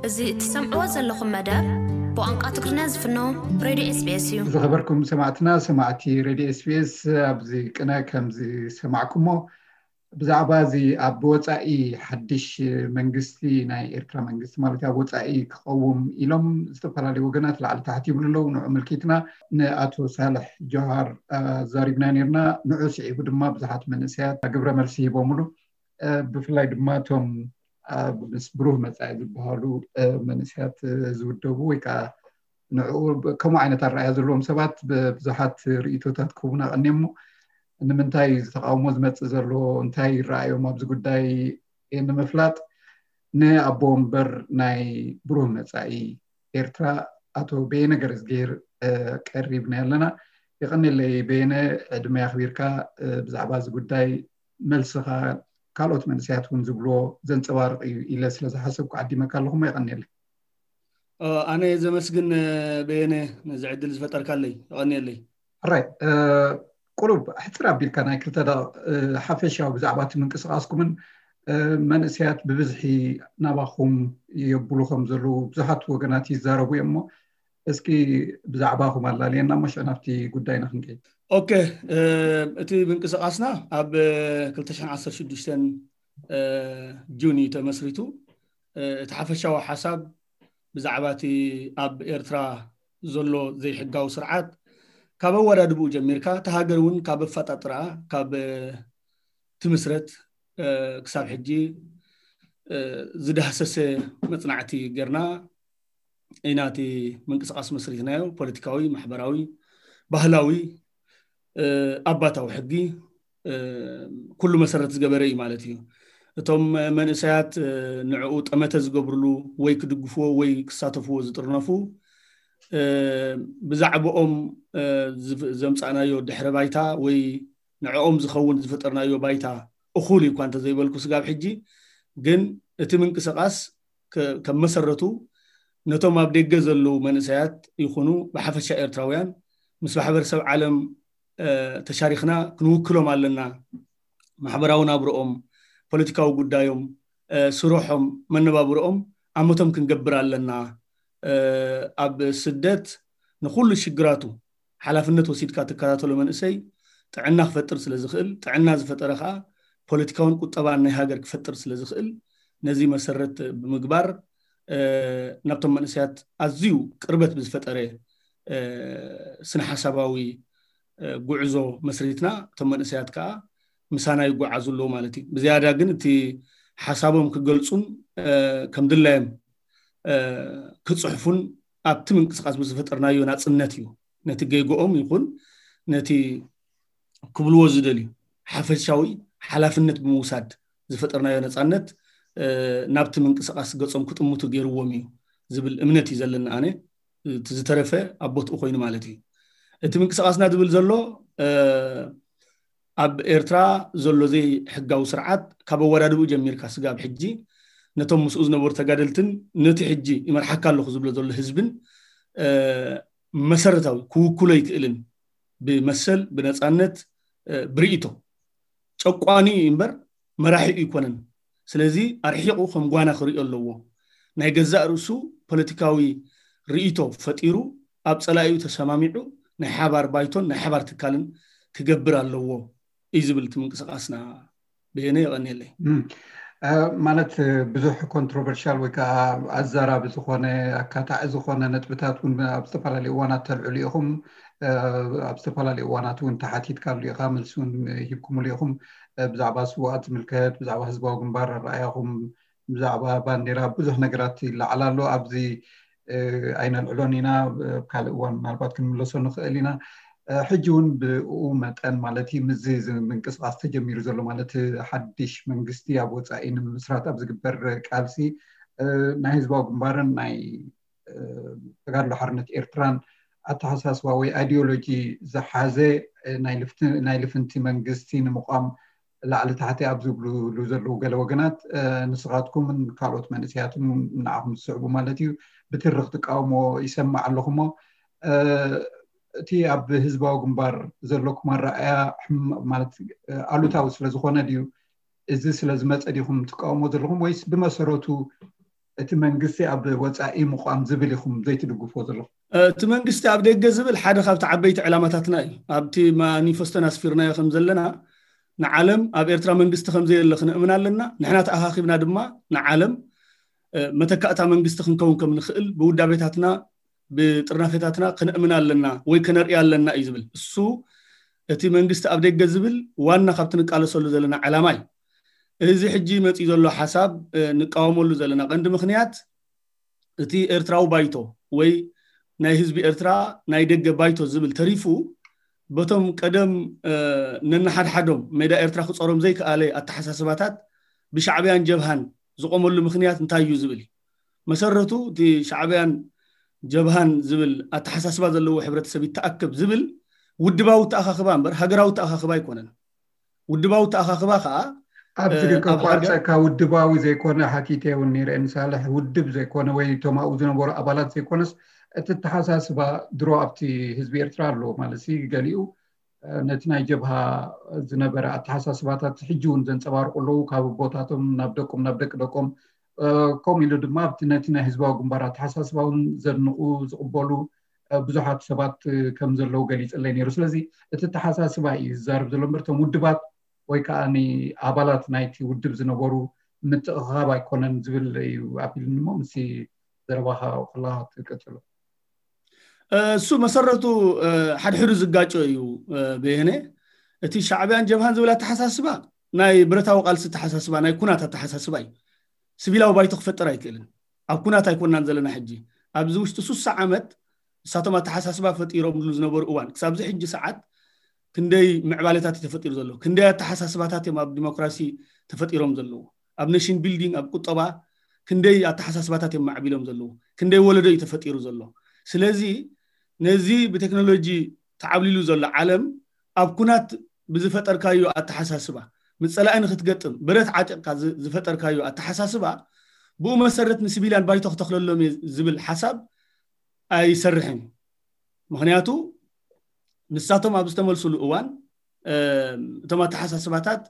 እዚ እትሰምዕዎ ዘለኹም መደብ ብቋንቋ ትግርኛ ዝፍኖ ሬድዮ ኤስቢኤስ እዩ። ዝኸበርኩም ሰማዕትና፣ ሰማዕቲ ሬድዮ ኤስቢኤስ፣ ኣብዚ ቅነ ከም ዝሰማዕኩሞ ብዛዕባ እዚ ኣብ ወፃኢ ሓድሽ መንግስቲ ናይ ኤርትራ መንግስቲ ማለት ኣብ ወፃኢ ክቐውም ኢሎም ዝተፈላለዩ ወገናት ላዕሊ ታሕቲ ይብሉ ኣለዉ። ንዑ ምልኪትና ንኣቶ ሳልሕ ጆሃር ኣዛሪብና ነርና። ንዑ ስዒቡ ድማ ብዙሓት መንእሰያት ግብረ መልሲ ሂቦምሉ። ብፍላይ ድማ እቶም ኣብ ምስ ብሩህ መጻኢ ዝበሃሉ መንእሰያት ዝውደቡ ወይ ከዓ ንዕኡ ከምኡ ዓይነት ኣረኣያ ዘለዎም ሰባት ብዙሓት ርእቶታት ክህቡና ቀኒዮም። እሞ ንምንታይ እዚ ተቃውሞ ዝመጽእ ዘሎ፣ እንታይ ይረኣዮም ኣብዚ ጉዳይ ንምፍላጥ ንኣቦ ወንበር ናይ ብሩህ መጻኢ ኤርትራ ኣቶ በየነ ገረዝግሄር ቀሪብና ኣለና። የቐኔለይ በየነ፣ ዕድመ ኣኽቢርካ ብዛዕባ እዚ ጉዳይ መልስኻ ካልኦት መንእሰያት እውን ዝብልዎ ዘንጸባርቕ እዩ ኢለ ስለ ዝሓሰብኩ ዓዲመካ ኣለኹ። የቐኔለይ። ኣነ ዘመስግን በየነ፣ ነዚ ዕድል ዝፈጠርካለይ። የቐኔለይ። ራይ ቁሩብ ሕፅር ኣቢልካ ናይ ክልተ ደቂቕ ሓፈሻዊ ብዛዕባ እቲ ምንቅስቃስኩምን መንእሰያት ብብዝሒ ናባኹም የብሉ ከም ዘለዉ ብዙሓት ወገናት ይዛረቡ እዮም። እሞ እስኪ ብዛዕባኹም ኣላልየና እሞ ሽዑ ናብቲ ጉዳይና ክንከይድ። ኦኬ፣ እቲ ምንቅስቃስና ኣብ ክልተ ሽሕን ዓሰርተ ሽዱሽተን ጁን እዩ ተመስሪቱ። እቲ ሓፈሻዊ ሓሳብ ብዛዕባ እቲ ኣብ ኤርትራ ዘሎ ዘይሕጋዊ ስርዓት ካብ ኣወዳድብኡ ጀሚርካ እቲ ሃገር እውን ካብ ኣፈጣጥራ ካብ ትምስረት ክሳብ ሕጂ ዝዳህሰሰ መፅናዕቲ ጌርና ኢና እቲ ምንቅስቃስ መስሪትናዮ። ፖለቲካዊ፣ ማሕበራዊ፣ ባህላዊ፣ ኣባታዊ ሕጊ ኩሉ መሰረት ዝገበረ እዩ ማለት እዩ። እቶም መንእሰያት ንዕኡ ጠመተ ዝገብርሉ ወይ ክድግፍዎ ወይ ክሳተፍዎ ዝጥርነፉ ብዛዕባኦም ዘምፃእናዮ ድሕረ ባይታ ወይ ንዕኦም ዝኸውን ዝፈጠርናዮ ባይታ እኹል እዩ እኳ እንተዘይበልኩ ስጋብ ሕጂ ግን እቲ ምንቅስቃስ ከም መሰረቱ ነቶም ኣብ ደገ ዘለዉ መንእሰያት ይኹኑ ብሓፈሻ ኤርትራውያን ምስ ማሕበረሰብ ዓለም ተሻሪኽና ክንውክሎም ኣለና። ማሕበራዊ ናብርኦም፣ ፖለቲካዊ ጉዳዮም፣ ስርሖም፣ መነባብርኦም ኣመቶም ክንገብር ኣለና። ኣብ ስደት ንኹሉ ሽግራቱ ሓላፍነት ወሲድካ ትከታተሎ መንእሰይ ጥዕና ክፈጥር ስለ ዝኽእል፣ ጥዕና ዝፈጠረ ከዓ ፖለቲካውን ቁጠባን ናይ ሃገር ክፈጥር ስለ ዝኽእል፣ ነዚ መሰረት ብምግባር ናብቶም መንእሰያት ኣዝዩ ቅርበት ብዝፈጠረ ስነ ሓሳባዊ ጉዕዞ መስሪትና እቶም መንእሰያት ከዓ ምሳና ይጓዓዙ ኣለዉ ማለት እዩ። ብዝያዳ ግን እቲ ሓሳቦም ክገልፁን ከም ድላዮም ክፅሕፉን ኣብቲ ምንቅስቃስ ብዝፈጠርናዮ ናፅነት እዩ። ነቲ ጌግኦም ይኹን ነቲ ክብልዎ ዝደልዩ ሓፈሻዊ ሓላፍነት ብምውሳድ ዝፈጠርናዮ ነፃነት ናብቲ ምንቅስቃስ ገፆም ክጥምቱ ገይርዎም እዩ ዝብል እምነት እዩ ዘለኒ ኣነ። እቲ ዝተረፈ ኣብ ቦትኡ ኮይኑ ማለት እዩ። እቲ ምንቅስቃስና ዝብል ዘሎ ኣብ ኤርትራ ዘሎ ዘይሕጋዊ ስርዓት ካብ ኣወዳድብኡ ጀሚርካ ስጋብ ሕጂ ነቶም ምስኡ ዝነበሩ ተጋደልትን ነቲ ሕጂ ይመርሓካ ኣለኹ ዝብሎ ዘሎ ህዝብን መሰረታዊ ክውክሎ ኣይክእልን። ብመሰል፣ ብነፃነት፣ ብርእይቶ ጨቋኒ እዩ እምበር መራሒ ኣይኮነን። ስለዚ ኣርሒቑ ከም ጓና ክርእዮ ኣለዎ። ናይ ገዛእ ርእሱ ፖለቲካዊ ርእይቶ ፈጢሩ ኣብ ፀላኢኡ ተሰማሚዑ ናይ ሓባር ባይቶን ናይ ሓባር ትካልን ክገብር ኣለዎ እዩ ዝብል እቲ ምንቅስቃስና። በየነ የቐንየለይ። ማለት ብዙሕ ኮንትሮቨርሻል ወይ ከዓ ኣዛራቢ ዝኾነ ኣካታዒ ዝኾነ ነጥብታት እውን ኣብ ዝተፈላለዩ እዋናት ተልዕሉ ኢኹም። ኣብ ዝተፈላለዩ እዋናት እውን ተሓቲትካሉ ኢኻ፣ መልሲ እውን ሂብኩምሉ ኢኹም። ብዛዕባ ስውኣት ዝምልከት፣ ብዛዕባ ህዝባዊ ግንባር ኣረኣያኹም፣ ብዛዕባ ባንዴራ ብዙሕ ነገራት ይለዓል ኣሎ። ኣብዚ ኣይነልዕሎን ኢና፣ ኣብ ካልእ እዋን ምናልባት ክንምለሶ ንኽእል ኢና። ሕጂ እውን ብኡ መጠን ማለት እዩ ምስዚ ምንቅስቃስ ተጀሚሩ ዘሎ ማለት ሓድሽ መንግስቲ ኣብ ወፃኢ ንምምስራት ኣብ ዝግበር ቃልሲ ናይ ህዝባዊ ግንባርን ናይ ተጋድሎ ሓርነት ኤርትራን ኣተሓሳስባ ወይ ኣይዲዮሎጂ ዝሓዘ ናይ ልፍንቲ መንግስቲ ንምቋም ላዕሊ ታሕቲ ኣብ ዝብሉሉ ዘለዉ ገለ ወገናት ንስኻትኩምን ካልኦት መንእሰያትን ንዓኹም ዝስዕቡ ማለት እዩ ብትርኽ ትቃውሞ ይሰማዕ ኣለኹ። እሞ እቲ ኣብ ህዝባዊ ግንባር ዘለኩም ኣረኣያ ማለት ኣሉታዊ ስለ ዝኾነ ድዩ? እዚ ስለ ዝመፀ ዲኹም ትቃውሞ ዘለኹም ወይስ ብመሰረቱ እቲ መንግስቲ ኣብ ወፃኢ ምቋም ዝብል ኢኹም ዘይትድግፎ ዘለኹም? እቲ መንግስቲ ኣብ ደገ ዝብል ሓደ ካብቲ ዓበይቲ ዕላማታትና እዩ። ኣብቲ ማኒፈስቶና ኣስፊርናዮ ከም ዘለና ንዓለም ኣብ ኤርትራ መንግስቲ ከም ዘየለ ክነእምን ኣለና። ንሕና ተኣኻኺብና ድማ ንዓለም መተካእታ መንግስቲ ክንከውን ከም ንኽእል ብውዳቤታትና ብጥርናፌታትና ክነእምን ኣለና ወይ ከነርኢ ኣለና እዩ ዝብል። እሱ እቲ መንግስቲ ኣብ ደገ ዝብል ዋና ካብቲ ንቃለሰሉ ዘለና ዕላማ እዩ። እዚ ሕጂ መፂኡ ዘሎ ሓሳብ ንቃወመሉ ዘለና ቀንዲ ምኽንያት እቲ ኤርትራዊ ባይቶ ወይ ናይ ህዝቢ ኤርትራ ናይ ደገ ባይቶ ዝብል ተሪፉ በቶም ቀደም ነንሓድሓዶም ሜዳ ኤርትራ ክፀሮም ዘይከኣለ ኣተሓሳስባታት ብሻዕብያን ጀብሃን ዝቆመሉ ምኽንያት እንታይ እዩ ዝብል እዩ። መሰረቱ እቲ ሻዕብያን ጀብሃን ዝብል ኣተሓሳስባ ዘለዎ ሕብረተሰብ ይተኣከብ ዝብል ውድባዊ ተኣኻኽባ እምበር ሃገራዊ ተኣኻኽባ ኣይኮነን። ውድባዊ ተኣኻኽባ ከዓ ኣብዚ ግን ከቋርፀካ ውድባዊ ዘይኮነ ሓቲተ እውን ነይረ ንሳልሕ ውድብ ዘይኮነ ወይ እቶም ኣብኡ ዝነበሩ ኣባላት ዘይኮነስ እቲ ኣተሓሳስባ ድሮ ኣብቲ ህዝቢ ኤርትራ ኣለዎ ማለት ሲ ገሊኡ ነቲ ናይ ጀብሃ ዝነበረ ኣተሓሳስባታት ሕጂ እውን ዘንፀባርቁ ኣለዉ። ካብ ኣቦታቶም ናብ ደቆም ናብ ደቂ ደቆም ከምኡ ኢሉ ድማ ኣብቲ ነቲ ናይ ህዝባዊ ግንባር ኣተሓሳስባ እውን ዘድንቁ ዝቕበሉ ብዙሓት ሰባት ከም ዘለዉ ገሊፅለይ ነይሩ። ስለዚ እቲ ኣተሓሳስባ እዩ ዝዛረብ ዘሎ እምበር እቶም ውድባት ወይ ከዓ ኣባላት ናይቲ ውድብ ዝነበሩ ምትእኻብ ኣይኮነን ዝብል እዩ ኣቢሉኒ። እሞ ምስ ዘረባኻ ከለካ ክትቅፅሉ እሱ መሰረቱ ሓድሕዱ ዝጋጮ እዩ። በየነ እቲ ሻዕብያን ጀብሃን ዝብል ኣተሓሳስባ ናይ ብረታዊ ቃልሲ ኣተሓሳስባ ናይ ኩናት ኣተሓሳስባ እዩ። ስቪላዊ ባይቶ ክፈጠር ኣይክእልን። ኣብ ኩናት ኣይኮናን ዘለና ሕጂ። ኣብዚ ውሽጢ ሱሳ ዓመት ንሳቶም ኣተሓሳስባ ፈጢሮምሉ ዝነበሩ እዋን ክሳብዚ ሕጂ ሰዓት ክንደይ ምዕባለታት እዩ ተፈጢሩ ዘሎ፣ ክንደይ ኣተሓሳስባታት እዮም ኣብ ዲሞክራሲ ተፈጢሮም ዘለዉ፣ ኣብ ኔሽን ቢልዲንግ ኣብ ቁጠባ ክንደይ ኣተሓሳስባታት እዮም ማዕቢሎም ዘለዉ፣ ክንደይ ወለዶ እዩ ተፈጢሩ ዘሎ። ስለዚ ነዚ ብቴክኖሎጂ ተዓብሊሉ ዘሎ ዓለም ኣብ ኩናት ብዝፈጠርካዮ ኣተሓሳስባ ምፀላኢ ንክትገጥም ብረት ዓጢቕካ ዝፈጠርካዮ ኣተሓሳስባ ብኡ መሰረት ንሲቪልያን ባይቶ ክተክለሎም ዝብል ሓሳብ ኣይሰርሕን እዩ። ምክንያቱ ንሳቶም ኣብ ዝተመልሱሉ እዋን እቶም ኣተሓሳስባታት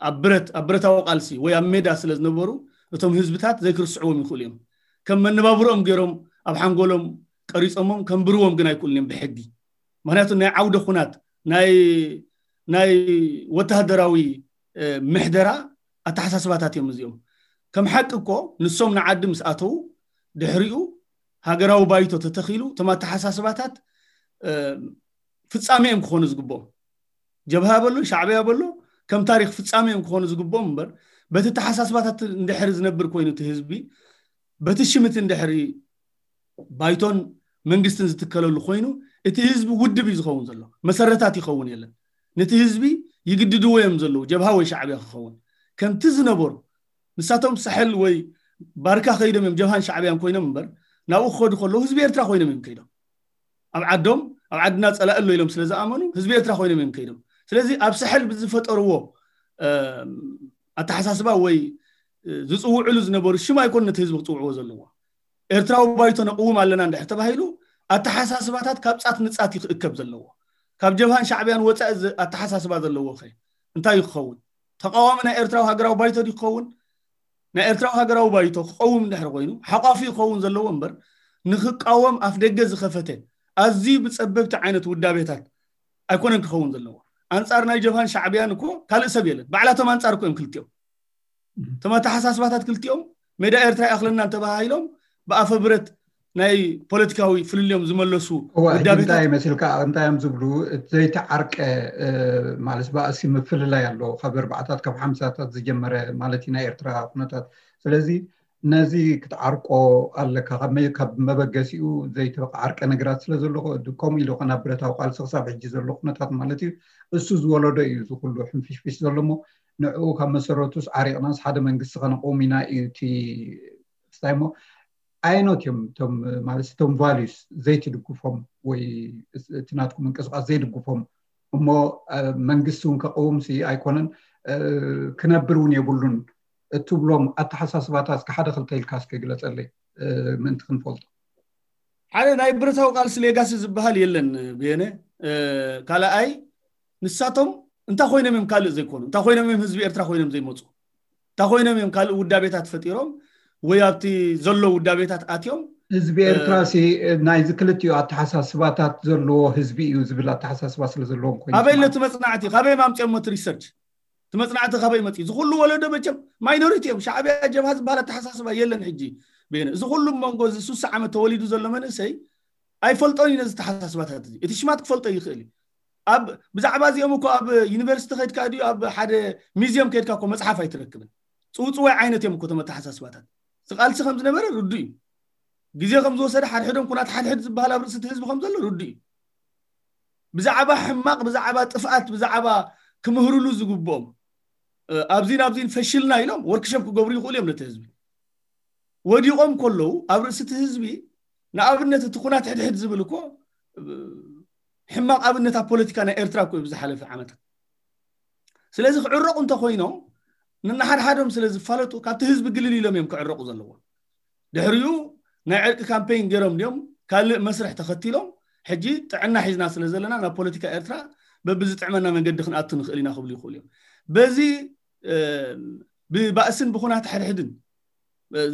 ኣብ ብረት ኣብ ብረታዊ ቃልሲ ወይ ኣብ ሜዳ ስለ ዝነበሩ እቶም ህዝብታት ዘይክርስዕዎም ይኽእሉ እዮም። ከም መነባብሮኦም ገይሮም ኣብ ሓንጎሎም ቀሪፆሞም ከንብርዎም ግን ኣይክእሉን እዮም ብሕጊ። ምክንያቱ ናይ ዓውደ ኩናት ናይ ናይ ወተሃደራዊ ምሕደራ ኣተሓሳስባታት እዮም እዚኦም። ከም ሓቂ እኮ ንሶም ንዓዲ ምስ ኣተዉ ድሕሪኡ ሃገራዊ ባይቶ ተተኺሉ እቶም ኣተሓሳስባታት ፍፃሜ እዮም ክኾኑ ዝግብኦም። ጀብሃ በሎ ሻዕብያ በሎ ከም ታሪክ ፍፃሜ እዮም ክኾኑ ዝግብኦም እምበር በቲ ኣተሓሳስባታት እንድሕር ዝነብር ኮይኑ እቲ ህዝቢ በቲ ሽምቲ እንድሕሪ ባይቶን መንግስትን ዝትከለሉ ኮይኑ እቲ ህዝቢ ውድብ እዩ ዝኸውን ዘሎ። መሰረታት ይኸውን የለን። ነቲ ህዝቢ ይግድድዎ እዮም ዘለዉ ጀብሃ ወይ ሻዕብያ ክኸውን ከምቲ ዝነበሩ ንሳቶም ሳሕል ወይ ባርካ ከይዶም እዮም ጀብሃን ሻዕብያን ኮይኖም እምበር ናብኡ ክኸዱ ከለዉ ህዝቢ ኤርትራ ኮይኖም እዮም ከይዶም። ኣብ ዓዶም ኣብ ዓድና ፀላእ ኣሎ ኢሎም ስለ ዝኣመኑ ህዝቢ ኤርትራ ኮይኖም እዮም ከይዶም። ስለዚ ኣብ ሳሕል ብዝፈጠርዎ ኣተሓሳስባ ወይ ዝፅውዕሉ ዝነበሩ ሽም ኣይኮኑ ነቲ ህዝቢ ክፅውዕዎ ዘለዎ። ኤርትራዊ ባይቶ ነቕውም ኣለና እንድሕር ተባሂሉ ኣተሓሳስባታት ካብ ፃት ንፃት ይክእከብ ዘለዎ። ካብ ጀብሃን ሻዕብያን ወፃኢ ኣተሓሳስባ ዘለዎ ከ እንታይ ክኸውን? ተቃዋሚ ናይ ኤርትራዊ ሃገራዊ ባይቶ ድዩ ክኸውን? ናይ ኤርትራዊ ሃገራዊ ባይቶ ክቀውም እንድሕር ኮይኑ ሓቋፊ ክኸውን ዘለዎ እምበር ንክቃወም ኣፍ ደገ ዝኸፈተ ኣዝዩ ብፀበብቲ ዓይነት ውዳቤታት ኣይኮነን ክኸውን ዘለዎ። ኣንፃር ናይ ጀብሃን ሻዕብያን እኮ ካልእ ሰብ የለን። ባዕላቶም ኣንፃር እኮ እዮም ክልቲኦም። እቶም ኣተሓሳስባታት ክልቲኦም ሜዳ ኤርትራ ይኣኽለና እንተባሃሂሎም ብኣፈ ብረት ናይ ፖለቲካዊ ፍልልዮም ዝመለሱ ውዳቤታት ይመስልካ። እንታይ እዮም ዝብሉ? ዘይተዓርቀ ማለት ባእሲ ምፍልላይ ኣሎ። ካብ ኣርባዕታት ካብ ሓምሳታት ዝጀመረ ማለት ናይ ኤርትራ ኩነታት። ስለዚ ነዚ ክትዓርቆ ኣለካ። ካብ መበገሲኡ ዘይተዓርቀ ነገራት ስለ ዘሎ ከምኡ ኢሉ ናብ ብረታዊ ቃልሲ ክሳብ ሕጂ ዘሎ ኩነታት ማለት እዩ። እሱ ዝወለዶ እዩ እዚ ኩሉ ሕንፍሽፍሽ ዘሎ። እሞ ንዕኡ ካብ መሰረቱስ ዓሪቕናስ ሓደ መንግስቲ ከነቆም ኢና እዩ እቲ ስታይ። እሞ ኣይኖት እዮም እቶም ማለት እቶም ቫሉስ ዘይትድግፎም ወይ እቲ ናትኩም ምንቅስቃስ ዘይድግፎም እሞ መንግስቲ እውን ከቀውም ሲ ኣይኮነን ክነብር እውን የብሉን እትብሎም ኣተሓሳስባታት እስከ ሓደ ክልተ ኢልካ እስከ ግለፀለይ ምእንቲ ክንፈልጦ። ሓደ ናይ ብረታዊ ቃልሲ ሌጋሲ ዝበሃል የለን ብየነ። ካልኣይ ንሳቶም እንታይ ኮይኖም እዮም ካልእ ዘይኮኑ? እንታይ ኮይኖም እዮም ህዝቢ ኤርትራ ኮይኖም ዘይመፁ? እንታይ ኮይኖም እዮም ካልእ ውዳቤታት ፈጢሮም ወይ ኣብቲ ዘሎ ውዳቤታት ኣትዮም። ህዝቢ ኤርትራ ሲ ናይዚ ክልቲኡ ኣተሓሳስባታት ዘለዎ ህዝቢ እዩ ዝብል ኣተሓሳስባ ስለ ዘለዎም ኮይኑ ኣበይ ኣሎ። እቲ መጽናዕቲ ካበይ ማምፅኦሞ እቲ ሪሰርች? እቲ መጽናዕቲ ካበይ መጽ እዚ ኩሉ ወለዶ መቸም ማይኖሪቲ እዮም። ሻዕብያ ጀብሃ ዝበሃል ኣተሓሳስባ የለን። ሕጂ በየነ እዚ ኩሉ መንጎ እዚ ሱሳ ዓመት ተወሊዱ ዘሎ መንእሰይ ኣይፈልጦን እዩ ነዚ ተሓሳስባታት እዚ። እቲ ሽማት ክፈልጦ ይኽእል እዩ። ኣብ ብዛዕባ እዚኦም እኮ ኣብ ዩኒቨርሲቲ ከድካ ድዩ ኣብ ሓደ ሚዚየም ከድካ እኮ መጽሓፍ ኣይትረክብን። ጽውጽዋይ ዓይነት እዮም እኮ እቶም ኣተሓሳስባታት። ዝቃልሲ ከም ዝነበረ ርዱ እዩ። ግዜ ከም ዝወሰደ ሓድሕዶም ኩናት ሓድሕድ ዝበሃል ኣብ ርእሲ እቲ ህዝቢ ከም ዘሎ ርዱ እዩ። ብዛዕባ ሕማቕ ብዛዕባ ጥፍኣት ብዛዕባ ክምህርሉ ዝግብኦም ኣብዚ ናብዚን ፈሽልና ኢሎም ወርክሾፕ ክገብሩ ይኽእሉ እዮም ነቲ ህዝቢ። ወዲቖም ከለዉ ኣብ ርእሲ እቲ ህዝቢ ንኣብነት እቲ ኩናት ሕድሕድ ዝብል እኮ ሕማቕ ኣብነት ኣብ ፖለቲካ ናይ ኤርትራ እኮ እዩ ብዝሓለፈ ዓመታት። ስለዚ ክዕረቑ እንተኮይኖም ንናሓድሓዶም ስለ ዝፋለጡ ካብቲ ህዝቢ ግልል ኢሎም እዮም ክዕረቑ ዘለዎ። ድሕሪኡ ናይ ዕርቂ ካምፔይን ገይሮም ድዮም ካልእ መስርሕ ተኸቲሎም ሕጂ ጥዕና ሒዝና ስለ ዘለና ናብ ፖለቲካ ኤርትራ በብዝጥዕመና መንገዲ ክንኣቱ ንኽእል ኢና ክብሉ ይኽእሉ እዮም። በዚ ብባእስን ብኹናት ሕድሕድን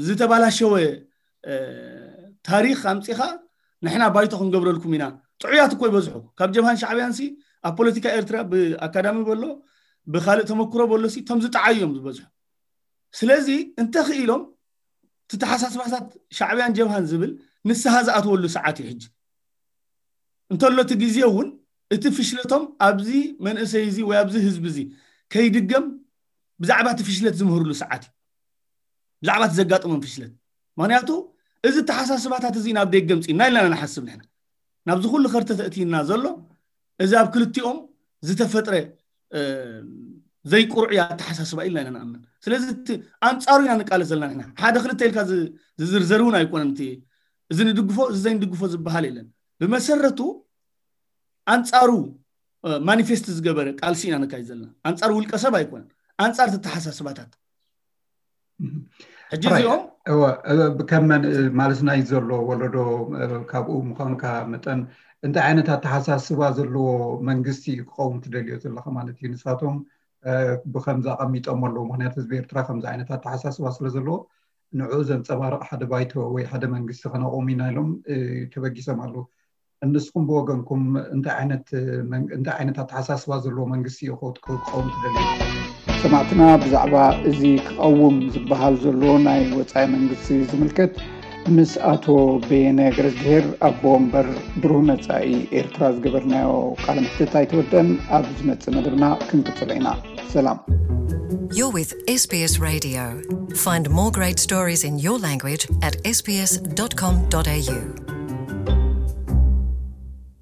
ዝተባላሸወ ታሪኽ ኣምፂኻ ንሕና ባይቶ ክንገብረልኩም ኢና። ጥዑያት እኮ ይበዝሑ ካብ ጀብሃን ሻዕብያን ሲ ኣብ ፖለቲካ ኤርትራ ብኣካዳሚ በሎ ብካልእ ተመክሮ በሎ ሲ እቶም ዝጠዓዩ እዮም ዝበዝሑ። ስለዚ እንተኽኢሎም እቲ ተሓሳስባታት ሻዕብያን ጀብሃን ዝብል ንስሃ ዝኣትወሉ ሰዓት እዩ ሕጂ። እንተሎ እቲ ግዜ እውን እቲ ፍሽለቶም ኣብዚ መንእሰይ እዚ ወይ ኣብዚ ህዝቢ እዚ ከይድገም ብዛዕባ እቲ ፍሽለት ዝምህርሉ ሰዓት እዩ። ብዛዕባ እቲ ዘጋጥሞም ፍሽለት ምክንያቱ እዚ ተሓሳስባታት እዚ ናብ ደገ ምፅእና ኢልና ንሓስብ ንሕና ናብዚ ኩሉ ከርተ ተእትይና ዘሎ እዚ ኣብ ክልቲኦም ዝተፈጥረ ዘይቁርዑ ኣተሓሳስባ ኢልና ኢና ንኣምን። ስለዚ ኣንፃሩ ኢና ንቃለስ ዘለና ንሕና ሓደ ክልተ ኢልካ ዝዝርዘር እውን ኣይኮነን። እቲ እዚ ንድግፎ እዚ ዘይንድግፎ ዝበሃል የለን። ብመሰረቱ ኣንፃሩ ማኒፌስት ዝገበረ ቃልሲ ኢና ነካይድ ዘለና። ኣንፃር ውልቀ ሰብ ኣይኮነን፣ ኣንፃር ተተሓሳስባታት። ሕጂ እዚኦም ከም ማለት ናይ ዘሎ ወለዶ ካብኡ ምዃንካ መጠን እንታይ ዓይነት ኣተሓሳስባ ዘለዎ መንግስቲ እዩ ክኸውን ትደልዮ ዘለካ ማለት እዩ? ንሳቶም ብከምዚ ኣቐሚጦም ኣለዉ። ምክንያቱ ህዝቢ ኤርትራ ከምዚ ዓይነት ኣተሓሳስባ ስለ ዘለዎ ንዕኡ ዘንፀባርቕ ሓደ ባይቶ ወይ ሓደ መንግስቲ ከነቑም ኢና ኢሎም ተበጊሶም ኣለዉ። ንስኹም ብወገንኩም እንታይ ዓይነት ኣተሓሳስባ ዘለዎ መንግስቲ እዩ ክኸውን ትደልዩ? ሰማዕትና ብዛዕባ እዚ ክቐውም ዝበሃል ዘሎ ናይ ወፃኢ መንግስቲ ዝምልከት ምስ ኣቶ በየነ ገረዝግሄር ኣቦ ወንበር ብሩህ መፃኢ ኤርትራ ዝገበርናዮ ቃለ መሕትት ኣይተወደን። ኣብ ዝመፅእ መደብና ክንቅፅሎ ኢና። ሰላም። You're with S B S Radio. Find more great stories in your language at S B S dot com dot A U.